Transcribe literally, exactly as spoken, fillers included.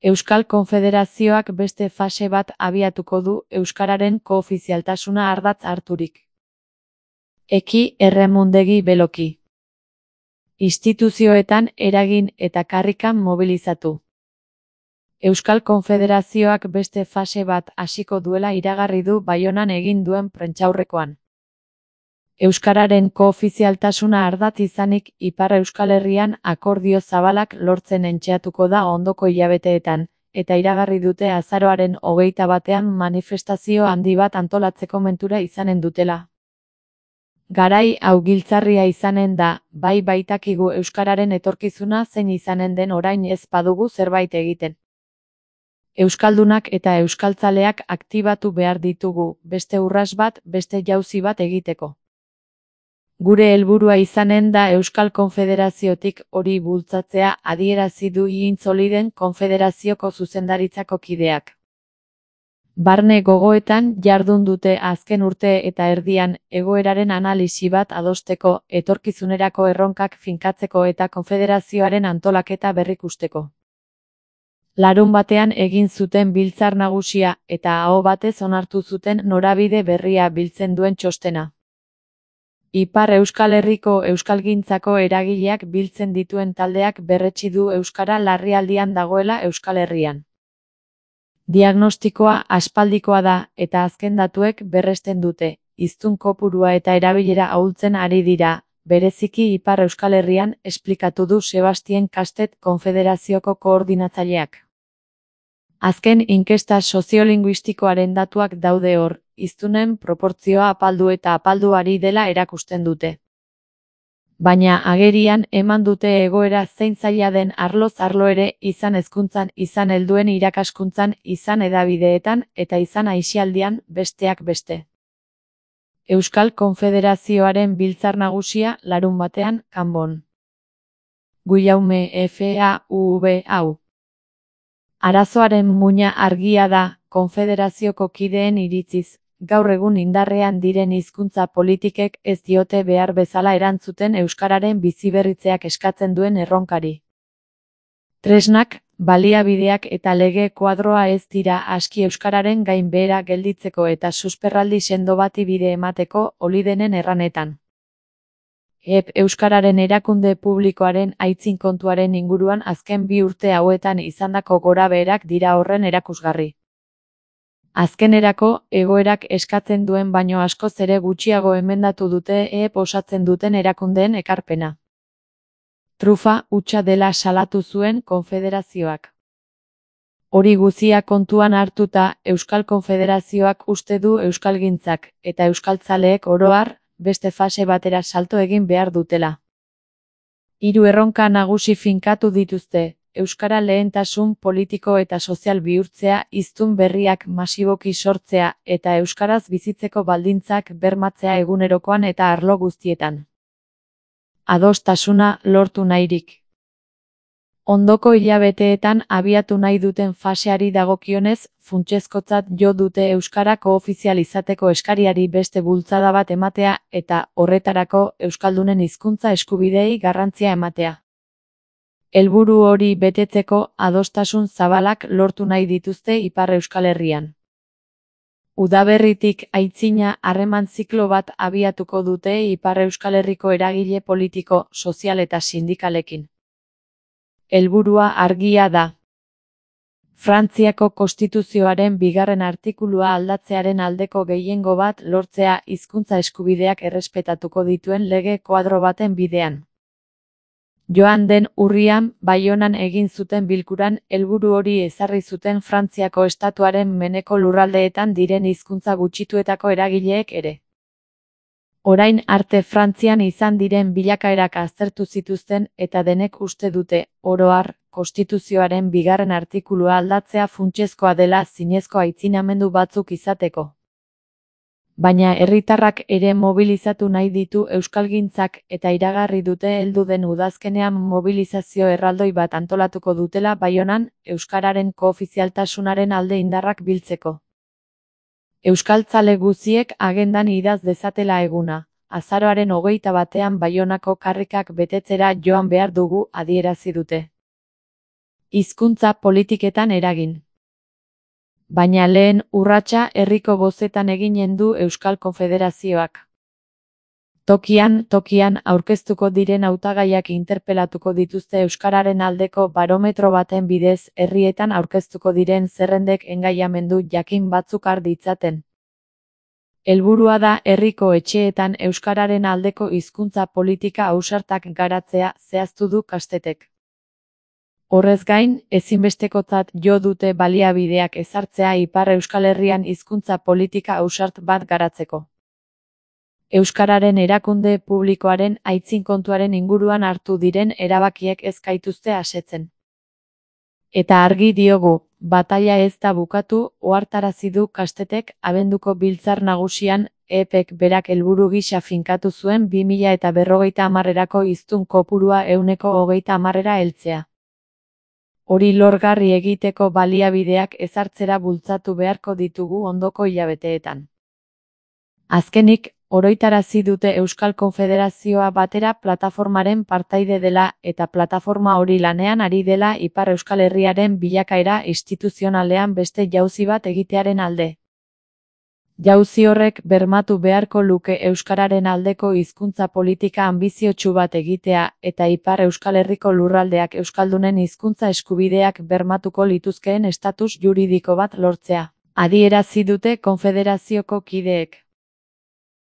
Euskal Konfederazioak beste fase bat abiatuko du euskararen koofizialtasuna ardatz harturik. Eki erremundegi beloki. Instituzioetan eragin eta karrikan mobilizatu. Euskal Konfederazioak beste fase bat hasiko duela iragarri du Baionan egin duen prentsaurrekoan. Euskararen koofizialtasuna ardatz izanik Ipar Euskal Herrian akordio zabalak lortzen entxeatuko da ondoko hilabeteetan, eta iragarri dute azaroaren hogeita batean manifestazio handi bat antolatzeko mentura izanen dutela. Garai hau giltzarria izanen da, bai baitakigu euskararen etorkizuna zein izanen den orain ez badugu zerbait egiten. Euskaldunak eta euskaltzaleak aktibatu behar ditugu, beste urras bat, beste jauzi bat egiteko. Gure helburua izanen da Euskal Konfederaziotik hori bultzatzea adierazi du Iintzoliden Konfederazioko zuzendaritzako kideak. Barne gogoetan jardun dute azken urte eta erdian egoeraren analisi bat adosteko, etorkizunerako erronkak finkatzeko eta konfederazioaren antolaketa berrikusteko. Larun batean egin zuten biltzar nagusia eta aho batez onartu zuten norabide berria biltzen duen txostena. Ipar Euskal Herriko euskalgintzako eragileak biltzen dituen taldeak berretsi du euskara larrialdian dagoela Euskal Herrian. Diagnostikoa aspaldikoa da eta azken datuek berresten dute, hiztun kopurua eta erabilera ahultzen ari dira, bereziki Ipar Euskal Herrian, esplikatu du Sebastien Kastet Konfederazioko koordinatzaileak. Azken inkesta soziolinguistikoaren datuak daude hor, hiztunen proportzioa apaldu eta apaldu ari dela erakusten dute. Baina agerian eman dute egoera zein zaila den arloz arlo ere, izan hezkuntzan, izan helduen irakaskuntzan, izan hedabideetan eta izan aisialdian, besteak beste. Euskal Konfederazioaren biltzar nagusia larun batean, Kanbon. Guillaume F A U V hau. Arazoaren muina argia da, konfederazioko kideen iritziz, gaur egun indarrean diren hizkuntza politikek ez diote behar bezala erantzuten euskararen biziberritzeak eskatzen duen erronkari. Tresnak, baliabideak eta lege kuadroa ez dira aski euskararen gainbehera gelditzeko eta susperraldi sendo bati bide emateko olidenen erranetan. E P Euskararen erakunde publikoaren aitzin kontuaren inguruan azken bi urte hauetan izandako gorabeherak dira horren erakusgarri. Azkenerako, egoerak eskatzen duen baino askoz ere gutxiago emendatu dute E P osatzen duten erakundeen ekarpena. Trufa hutsa dela salatu zuen konfederazioak. Hori guzia kontuan hartuta, Euskal Konfederazioak uste du euskalgintzak eta euskaltzaleek oro har, beste fase batera salto egin behar dutela. Hiru erronka nagusi finkatu dituzte, euskara lehentasun politiko eta sozial bihurtzea, hiztun berriak masiboki sortzea eta euskaraz bizitzeko baldintzak bermatzea egunerokoan eta arlo guztietan. Adostasuna lortu nahirik. Ondoko hilabeteetan abiatu nahi duten faseari dagokionez, funtsezkotzat jo dute euskara koofizial izateko eskariari beste bultzada bat ematea eta horretarako euskaldunen hizkuntza eskubideei garrantzia ematea. Helburu hori betetzeko adostasun zabalak lortu nahi dituzte Ipar Euskal Herrian. Udaberritik aitzina harreman ziklo bat abiatuko dute Ipar Euskal Herriko eragile politiko, sozial eta sindikalekin. Helburua argia da. Frantziako konstituzioaren bigarren artikulua aldatzearen aldeko gehiengo bat lortzea hizkuntza eskubideak errespetatuko dituen lege koadro baten bidean. Joan den urrian, Baionan egin zuten bilkuran, helburu hori ezarri zuten Frantziako estatuaren meneko lurraldeetan diren hizkuntza gutxituetako eragileek ere. Orain arte Frantzian izan diren bilakaerak aztertu zituzten eta denek uste dute, oro har, konstituzioaren bigarren artikulua aldatzea funtsezkoa dela zinezko aitzinamendu batzuk izateko. Baina herritarrak ere mobilizatu nahi ditu euskalgintzak eta iragarri dute heldu den udazkenean mobilizazio erraldoi bat antolatuko dutela Baionan, euskararen koofizialtasunaren alde indarrak biltzeko. Euskaltzale guziek agendan idaz dezatela eguna, azaroaren hogeita batean Baionako karrikak betetzera joan behar dugu adierazi dute. hizkuntza politiketan eragin. Baina lehen urratsa herriko bozetan eginen du Euskal Konfederazioak. Tokian, tokian aurkeztuko diren hautagaiak interpelatuko dituzte euskararen aldeko barometro baten bidez herrietan aurkeztuko diren zerrendek engaiamendu jakin batzuk har ditzaten. Helburua da herriko etxeetan euskararen aldeko hizkuntza politika ausartak garatzea zehaztu du Kastetek. Horrez gain, ezinbestekotzat jo dute baliabideak ezartzea Ipar Euskal Herrian hizkuntza politika ausart bat garatzeko. Euskararen erakunde publikoaren aitzin kontuaren inguruan hartu diren erabakiek ez gaituzte asetzen. Eta argi diogu, bataila ez da bukatu, ohartarazi du Kastetek abenduko biltzar nagusian, E Pek berak helburu gisa finkatu zuen bi mila eta berrogeita hamarrerako hiztun kopurua ehuneko hogeita hamarrera heltzea. Hori lorgarri egiteko baliabideak ezartzera bultzatu beharko ditugu ondoko hilabeteetan. Azkenik, oroitarazi dute Euskal Konfederazioa batera plataformaren partaide dela eta plataforma hori lanean ari dela Ipar Euskal Herriaren bilakaera instituzionalean beste jauzi bat egitearen alde. Jauzi horrek bermatu beharko luke euskararen aldeko hizkuntza politika anbiziotsu bat egitea eta Ipar Euskal Herriko lurraldeak euskaldunen hizkuntza eskubideak bermatuko lituzkeen estatus juridiko bat lortzea, adierazi dute konfederazioko kideek.